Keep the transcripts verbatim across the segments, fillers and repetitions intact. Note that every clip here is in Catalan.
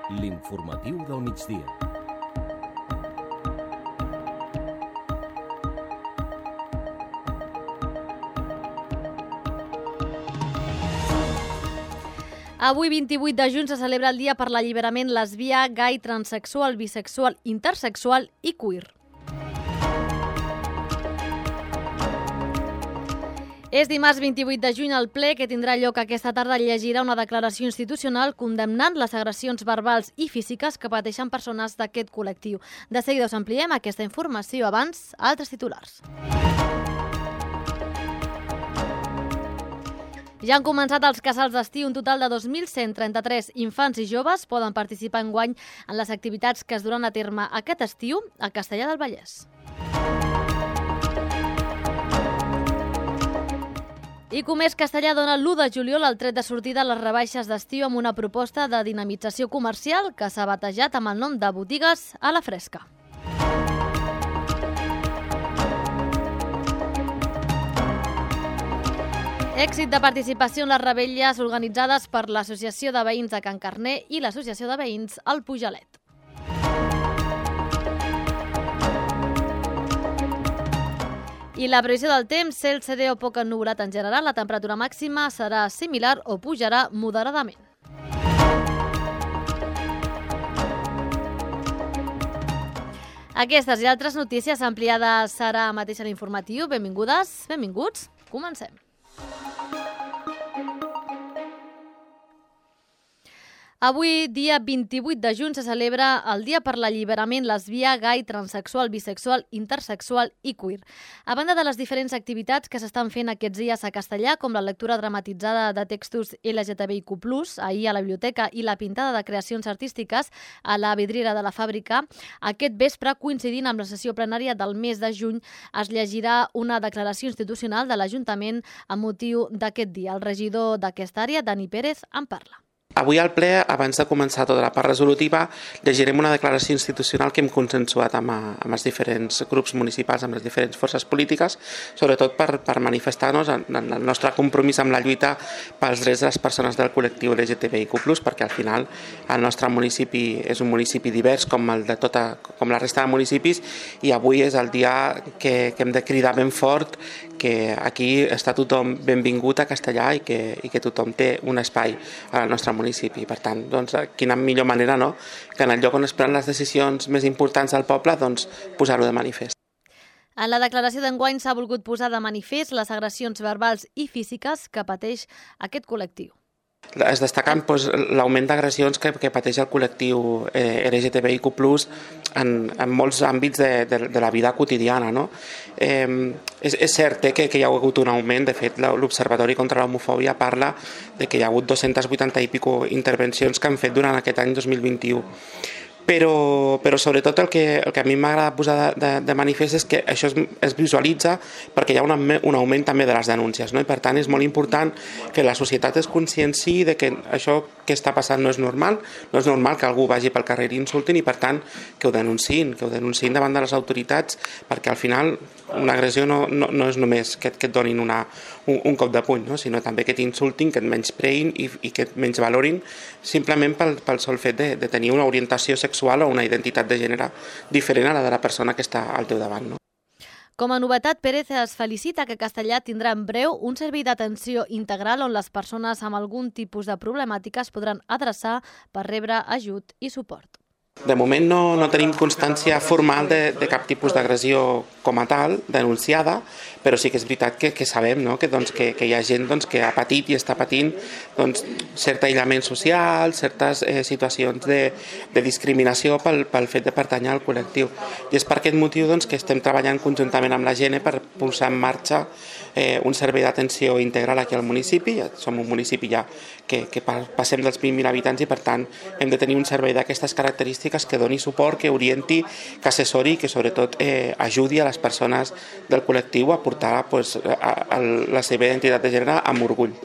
L'informatiu del migdia. Avui, vint-i-vuit de juny, se celebra el Dia per l'Alliberament lesbià, gai, transexual, bisexual, intersexual i queer. És dimarts vint-i-vuit de juny. El ple que tindrà lloc aquesta tarda llegirà una declaració institucional condemnant les agressions verbals i físiques que pateixen persones d'aquest col·lectiu. De seguida us ampliem aquesta informació. Abans, altres titulars. Ja han començat els casals d'estiu. Un total de dos mil cent trenta-tres infants i joves poden participar enguany en les activitats que es duran a terme aquest estiu a Castellar del Vallès. I Comerç Castellar dona l'u de juliol el tret de sortida a les rebaixes d'estiu amb una proposta de dinamització comercial que s'ha batejat amb el nom de Botigues a la Fresca. Èxit de participació en les revetlles organitzades per l'Associació de Veïns de Can Carner i l'Associació de Veïns al Pujalet. I la previsió del temps, cel serè o poc ennuvolat en general, la temperatura màxima serà similar o pujarà moderadament. Aquestes i altres notícies ampliades serà mateix a l'informatiu. Benvingudes, benvinguts, comencem. Avui, dia vint-i-vuit de juny, se celebra el Dia per l'Alliberament lesbià, gai, transexual, bisexual, intersexual i queer. A banda de les diferents activitats que s'estan fent aquests dies a Castellar, com la lectura dramatitzada de textos L G T B I Q plus, ahir a la biblioteca, i la pintada de creacions artístiques a la vidriera de la fàbrica, aquest vespre, coincidint amb la sessió plenària del mes de juny, es llegirà una declaració institucional de l'Ajuntament amb motiu d'aquest dia. El regidor d'aquesta àrea, Dani Pérez, en parla. Avui al ple, abans de començar tota la part resolutiva, llegirem una declaració institucional que hem consensuat amb, amb els diferents grups municipals, amb les diferents forces polítiques, sobretot per, per manifestar-nos en, en el nostre compromís amb la lluita pels drets de les persones del col·lectiu L G T B I Q plus, perquè al final el nostre municipi és un municipi divers com, el de tota, com la resta de municipis, i avui és el dia que, que hem de cridar ben fort que aquí està tothom benvingut a Castellar i que, i que tothom té un espai al nostre municipi. Per tant, doncs, quina millor manera, no?, que en el lloc on es prenen les decisions més importants del poble, doncs, posar-ho de manifest. En la declaració d'enguany s'ha volgut posar de manifest les agressions verbals i físiques que pateix aquest col·lectiu. Es destaquen doncs, l'augment d'agressions que, que pateix el col·lectiu eh, L G T B I Q plus en, en molts àmbits de, de, de la vida quotidiana. No? Eh, és, és cert eh, que, que hi ha hagut un augment. De fet, l'Observatori contra l'Homofòbia parla de que hi ha hagut dos-centes vuitanta i pico intervencions que han fet durant aquest any dos mil vint-i-u. Però, però sobretot el que, el que a mi m'agrada posar de, de, de manifest és que això es, es visualitza perquè hi ha una, un augment també de les denúncies, no? I per tant és molt important que la societat es conscienci de que això que està passant no és normal, no és normal que algú vagi pel carrer i insultin, i per tant que ho denunciïn, que ho denunciïn davant de les autoritats, perquè al final una agressió no, no, no és només que, que et donin una, un, un cop de puny, no? Sinó també que t'insultin, que et menyspreïn i, i que et menysvalorin simplement pel, pel sol fet de, de tenir una orientació sexual o una identitat de gènere diferent a la de la persona que està al teu davant. No? Com a novetat, Pérez es felicita que Castellar tindrà en breu un servei d'atenció integral on les persones amb algun tipus de problemàtica es podran adreçar per rebre ajut i suport. De moment no, no tenim constància formal de, de cap tipus d'agressió com a tal, denunciada, però sí que és veritat que, que sabem, no? que, doncs, que, que hi ha gent doncs, que ha patit i està patint doncs, cert aïllament social, certes eh, situacions de, de discriminació pel, pel fet de pertànyer al col·lectiu. I és per aquest motiu doncs, que estem treballant conjuntament amb la Gene per posar en marxa eh, un servei d'atenció integral aquí al municipi. Ja som un municipi ja que, que passem dels vint mil habitants i per tant hem de tenir un servei d'aquestes característiques que doni suport, que orienti, que assessori i que sobretot eh, ajudi a les persones del col·lectiu a portar pues, a, a la seva identitat de gènere amb orgull.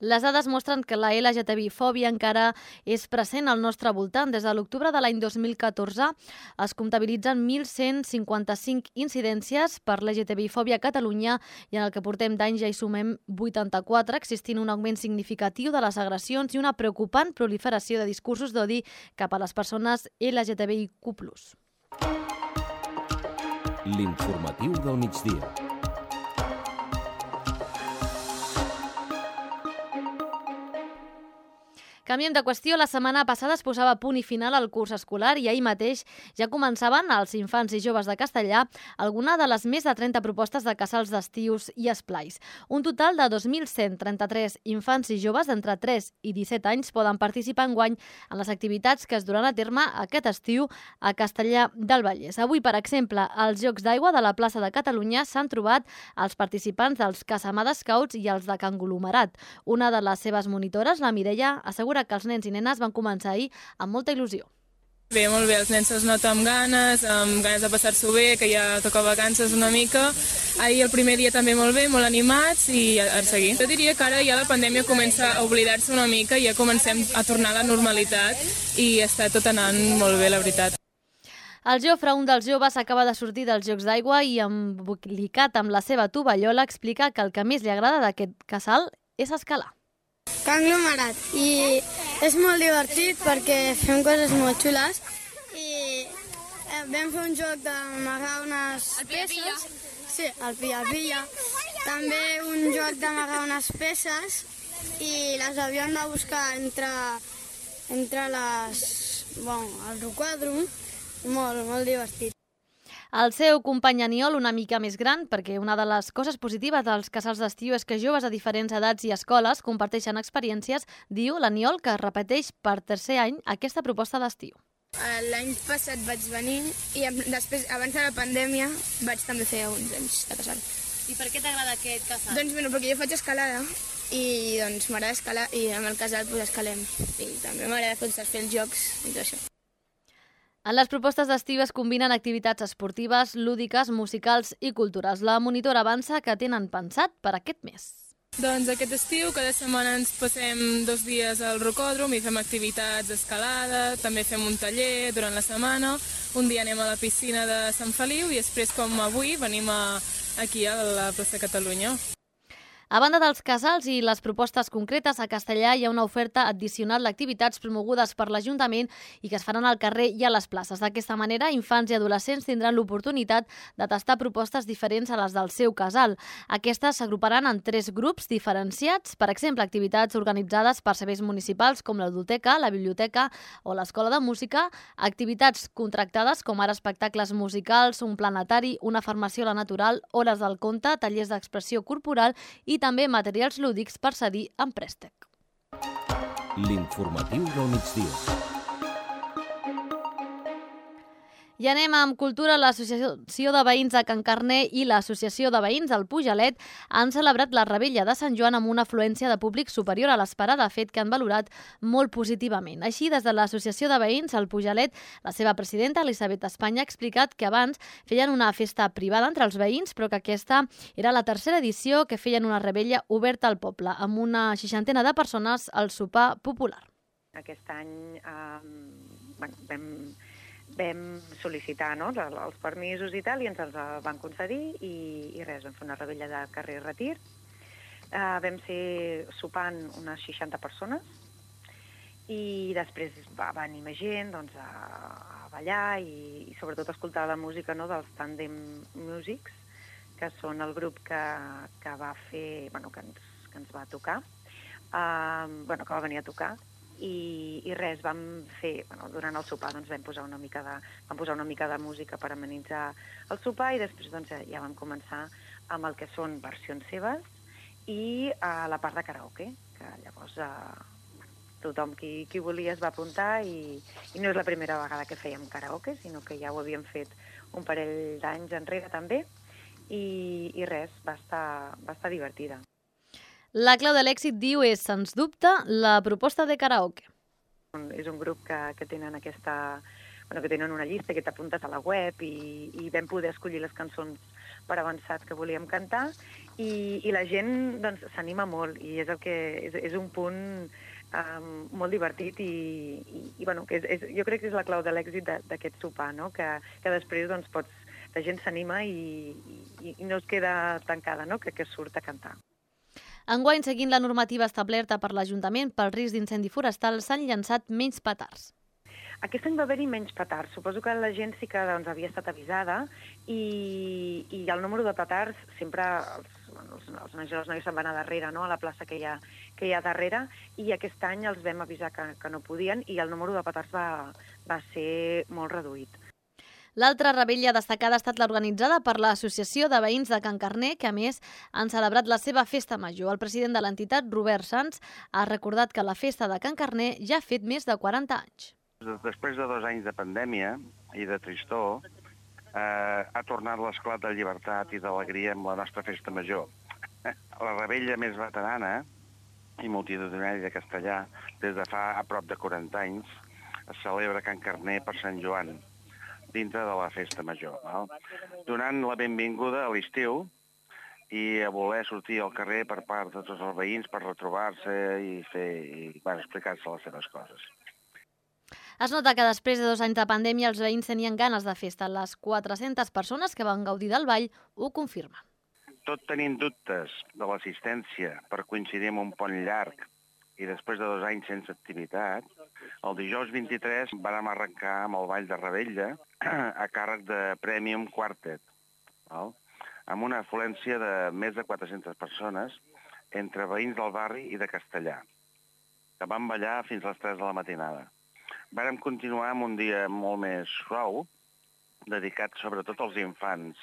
Les dades mostren que la L G T B-fòbia encara és present al nostre voltant. Des de l'octubre de l'any dos mil catorze es comptabilitzen mil cent cinquanta-cinc incidències per L G T B-fòbia a Catalunya i en el que portem d'any ja hi sumem vuitanta-quatre, existint un augment significatiu de les agressions i una preocupant proliferació de discursos d'odi cap a les persones L G T B I Q plus. L'informatiu del migdia. Canviem de qüestió. La setmana passada es posava punt i final al curs escolar i ahir mateix ja començaven als infants i joves de Castellà alguna de les més de trenta propostes de casals d'estius i esplais. Un total de dos mil cent trenta-tres infants i joves d'entre tres i disset anys poden participar enguany en les activitats que es duran a terme aquest estiu a Castellà del Vallès. Avui, per exemple, als Jocs d'Aigua de la plaça de Catalunya s'han trobat els participants dels Casamada Scouts i els de Canglomerat. Una de les seves monitores, la Mireia, assegura que els nens i nenes van començar ahir amb molta il·lusió. Bé, molt bé, els nens se'ls nota amb ganes, amb ganes de passar-s'ho bé, que ja toca vacances una mica. Ahir el primer dia també molt bé, molt animats i a, a seguir. Jo diria que ara ja la pandèmia comença a oblidar-se una mica i ja comencem a tornar a la normalitat i està tot anant molt bé, la veritat. El Jofre, un dels joves, acaba de sortir dels Jocs d'Aigua i, embolicat amb la seva tovallola, explica que el que més li agrada d'aquest casal és escalar. Canglomerat, i és molt divertit perquè fem coses molt xules i vam fer un joc d'amagar unes peces. Sí, el pilla-pilla. També un joc d'amagar unes peces i les havíem de buscar entre, entre les, bueno, el requadrum. Molt, molt divertit. El seu company Aniol, una mica més gran, perquè una de les coses positives dels casals d'estiu és que joves de diferents edats i escoles comparteixen experiències, diu l'Aniol, que repeteix per tercer any aquesta proposta d'estiu. L'any passat vaig venir i després, abans de la pandèmia, vaig també fer uns anys de casal. I per què t'agrada aquest casal? Doncs bueno, perquè jo faig escalada i doncs m'agrada escalar i amb el casal pues, escalem. I també m'agrada fer els jocs i tot això. En les propostes d'estiu es combinen activitats esportives, lúdiques, musicals i culturals. La monitora avança que tenen pensat per aquest mes. Doncs aquest estiu cada setmana ens passem dos dies al rocòdrom i fem activitats d'escalada, també fem un taller durant la setmana, un dia anem a la piscina de Sant Feliu i després, com avui, venim a, aquí a la plaça Catalunya. A banda dels casals i les propostes concretes, a Castellà hi ha una oferta addicional d'activitats promogudes per l'Ajuntament i que es faran al carrer i a les places. D'aquesta manera, infants i adolescents tindran l'oportunitat de tastar propostes diferents a les del seu casal. Aquestes s'agruparan en tres grups diferenciats, per exemple, activitats organitzades per serveis municipals com la ludoteca, la biblioteca o l'escola de música, activitats contractades com ara espectacles musicals, un planetari, una farmacia a la natural, hores del conte, tallers d'expressió corporal i i també materials lúdics per cedir en préstec. L'informatiu del migdia. I anem amb cultura. L'Associació de Veïns de Can Carner i l'Associació de Veïns del Pujalet han celebrat la Rebella de Sant Joan amb una afluència de públic superior a l'esperada, fet que han valorat molt positivament. Així, des de l'Associació de Veïns del Pujalet, la seva presidenta, Elisabet Espanya, ha explicat que abans feien una festa privada entre els veïns, però que aquesta era la tercera edició que feien una rebella oberta al poble, amb una seixantena de persones al sopar popular. Aquest any eh, bueno, vam... vam sol·licitar no, els permisos i tal, i ens els van concedir i, i res, vam fer una rebella de carrer Retir. Uh, vam ser sopant unes seixanta persones i després va venir més gent doncs, a, a ballar i, i sobretot a escoltar la música no, dels Tandem Musics, que són el grup que, que va fer, bueno, que ens, que ens va tocar, uh, bueno, que va venir a tocar. I, i res, vam fer, bueno, durant el sopar doncs, vam, posar una mica de, vam posar una mica de música per amenitzar el sopar i després doncs, ja vam començar amb el que són versions seves i uh, la part de karaoke, que llavors uh, tothom qui, qui volia es va apuntar i, i no és la primera vegada que fèiem karaoke, sinó que ja ho havíem fet un parell d'anys enrere també i, i res, va estar, va estar divertida. La clau de l'èxit, diu, és, sens dubte, la proposta de karaoke. És un grup que, que tenen aquesta bueno, que tenen una llista que t'apuntes a la web i, i vam poder escollir les cançons per avançat que volíem cantar i, i la gent doncs, s'anima molt i és, el que, és, és un punt um, molt divertit i, i, i bueno, que és, és, jo crec que és la clau de l'èxit d'aquest sopar, no? que, que després doncs, pots, la gent s'anima i, i, i no es queda tancada, no? que, que surt a cantar. Enguany, seguint la normativa establerta per l'Ajuntament pel risc d'incendi forestal, s'han llançat menys petards. Aquest any va haver-hi menys petards. Suposo que la gent sí que doncs, havia estat avisada i, i el número de petards sempre els, els, els nois i les noies se'n van a darrere, no? a la plaça que hi, ha, que hi ha darrere, i aquest any els vam avisar que, que no podien i el número de petards va, va ser molt reduït. L'altra revetlla destacada ha estat l'organitzada per l'Associació de Veïns de Can Carner, que a més han celebrat la seva festa major. El president de l'entitat, Robert Sans, ha recordat que la festa de Can Carner ja ha fet més de quaranta anys. Després de dos anys de pandèmia i de tristor, eh, ha tornat l'esclat de llibertat i d'alegria amb la nostra festa major. La revetlla més veterana i multitudinària de Castellà, des de fa a prop de quaranta anys, es celebra a Can Carner per Sant Joan, dintre de la festa major, no? Donant la benvinguda a l'estiu i a voler sortir al carrer per part de tots els veïns per retrobar-se i, fer, i bueno, explicar-se les seves coses. Es nota que després de dos anys de pandèmia els veïns tenien ganes de festa. Les quatre-centes persones que van gaudir del ball ho confirmen. Tot tenint dubtes de l'assistència per coincidir amb un pont llarg i després de dos anys sense activitat, el dijous vint-i-tres vam arrencar amb el ball de revetlla a càrrec de Premium Quartet, val? Amb una afluència de més de quatre-centes persones entre veïns del barri i de Castellà, que van ballar fins a les tres de la matinada. Vàrem continuar amb un dia molt més suau, dedicat sobretot als infants,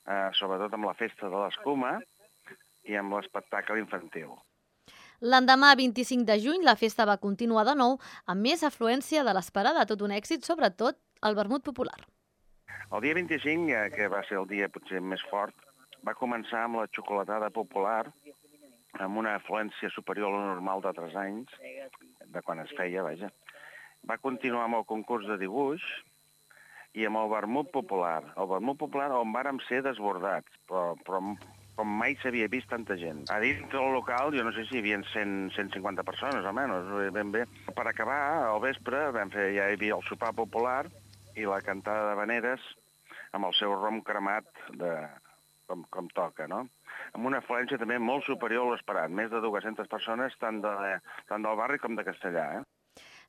eh, sobretot amb la festa de l'escuma i amb l'espectacle infantil. L'endemà, vint-i-cinc de juny, la festa va continuar de nou amb més afluència de l'esperada, tot un èxit, sobretot el vermut popular. El dia vint-i-cinc, que va ser el dia potser més fort, va començar amb la xocolatada popular, amb una afluència superior a la normal d'altres anys, de quan es feia, vaja. Va continuar amb el concurs de dibuix i amb el vermut popular. El vermut popular on vàrem ser desbordats, però, però com mai s'havia vist tanta gent. A dins del local, jo no sé si hi havia cent, cent cinquanta persones, almenys, ben bé. Per acabar, al vespre, vam fer, ja hi havia el sopar popular i la cantada d'havaneres amb el seu rom cremat de, com, com toca, no? Amb una afluència també molt superior a l'esperat, més de dues-centes persones, tant, de, tant del barri com de Castellà, eh?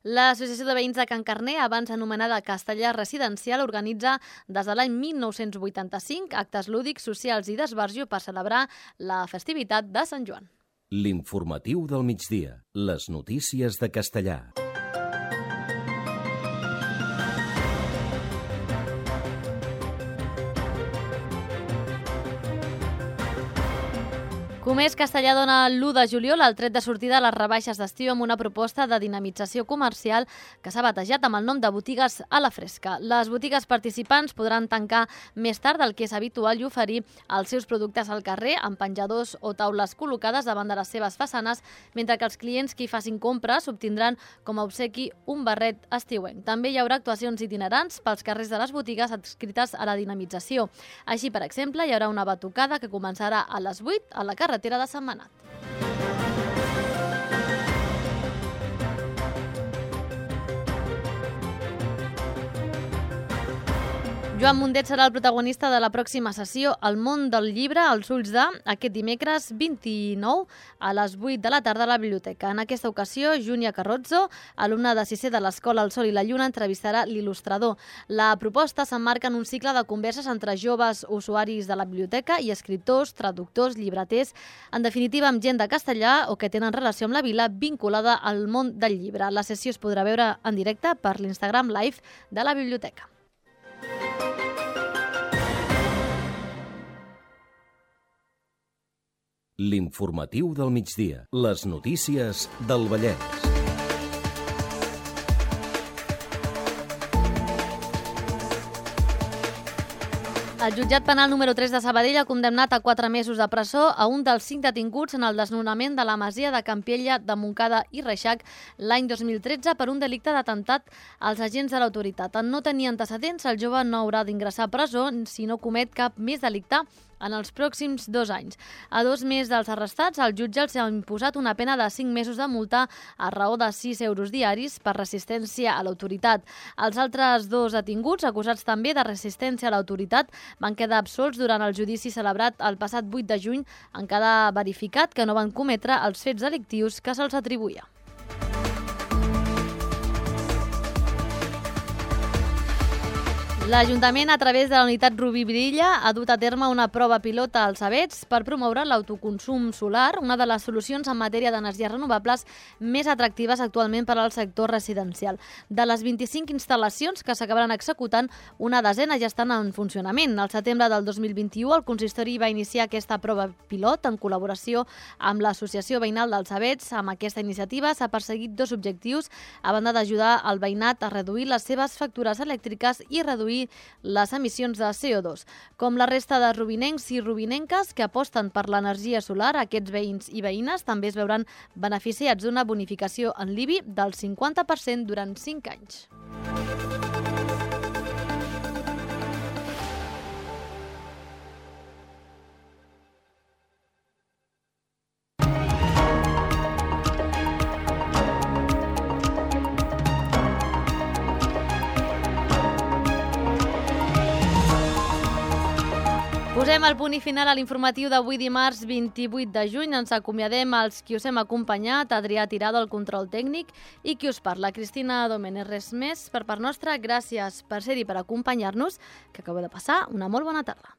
L'Associació de Veïns de Can Carner, abans anomenada Castellà Residencial, organitza des de l'any mil nou-cents vuitanta-cinc actes lúdics, socials i d'esbarjo per celebrar la festivitat de Sant Joan. L'informatiu del migdia. Les notícies de Castellà. Comerç Castellà dona l'u de juliol el tret de sortida a les rebaixes d'estiu amb una proposta de dinamització comercial que s'ha batejat amb el nom de botigues a la fresca. Les botigues participants podran tancar més tard del que és habitual i oferir els seus productes al carrer amb penjadors o taules col·locades davant de les seves façanes, mentre que els clients que hi facin compres obtindran com a obsequi un barret estiuenc. També hi haurà actuacions itinerants pels carrers de les botigues adscrites a la dinamització. Així, per exemple, hi haurà una batucada que començarà a les vuit a la carretera de Sentmenat. Joan Mundet serà el protagonista de la pròxima sessió El món del llibre als ulls de, aquest dimecres vint-i-nou a les vuit de la tarda a la biblioteca. En aquesta ocasió, Júnia Carrozzo, alumna de sisè de l'Escola El Sol i la Lluna, entrevistarà l'il·lustrador. La proposta s'emmarca en un cicle de converses entre joves usuaris de la biblioteca i escriptors, traductors, llibreters, en definitiva amb gent de Castellà o que tenen relació amb la vila vinculada al món del llibre. La sessió es podrà veure en directe per l'Instagram Live de la biblioteca. L'informatiu del migdia. Les notícies del Vallès. El jutjat penal número tres de Sabadell ha condemnat a quatre mesos de presó a un dels cinc detinguts en el desnonament de la masia de Campella de Montcada i Reixac l'any dos mil tretze per un delicte d'atemptat als agents de l'autoritat. En no tenir antecedents, el jove no haurà d'ingressar a presó si no comet cap més delicte en els pròxims dos anys. A dos més dels arrestats, el jutge els ha imposat una pena de cinc mesos de multa a raó de sis euros diaris per resistència a l'autoritat. Els altres dos detinguts, acusats també de resistència a l'autoritat, van quedar absolts durant el judici celebrat el passat vuit de juny, en quedar verificat que no van cometre els fets delictius que se'ls atribuïa. L'Ajuntament, a través de la unitat Rubí Brilla, ha dut a terme una prova pilota als Avets per promoure l'autoconsum solar, una de les solucions en matèria d'energies renovables més atractives actualment per al sector residencial. De les vint-i-cinc instal·lacions que s'acabaran executant, una desena ja estan en funcionament. Al setembre del dos mil vint-i-u, el consistori va iniciar aquesta prova pilot en col·laboració amb l'Associació Veïnal dels Avets. Amb aquesta iniciativa s'ha perseguit dos objectius, a banda d'ajudar el veïnat a reduir les seves factures elèctriques i reduir les emissions de C O dos. Com la resta de rubinencs i rubinenques que aposten per l'energia solar, aquests veïns i veïnes també es veuran beneficiats d'una bonificació en l'I B I del cinquanta per cent durant cinc anys. Posem el punt i final a l'informatiu d'avui dimarts vint-i-vuit de juny. Ens acomiadem als qui us hem acompanyat, Adrià Tirado, el control tècnic, i qui us parla, Cristina Domènech. Res més per part nostra. Gràcies per ser-hi, per acompanyar-nos, que acabeu de passar una molt bona tarda.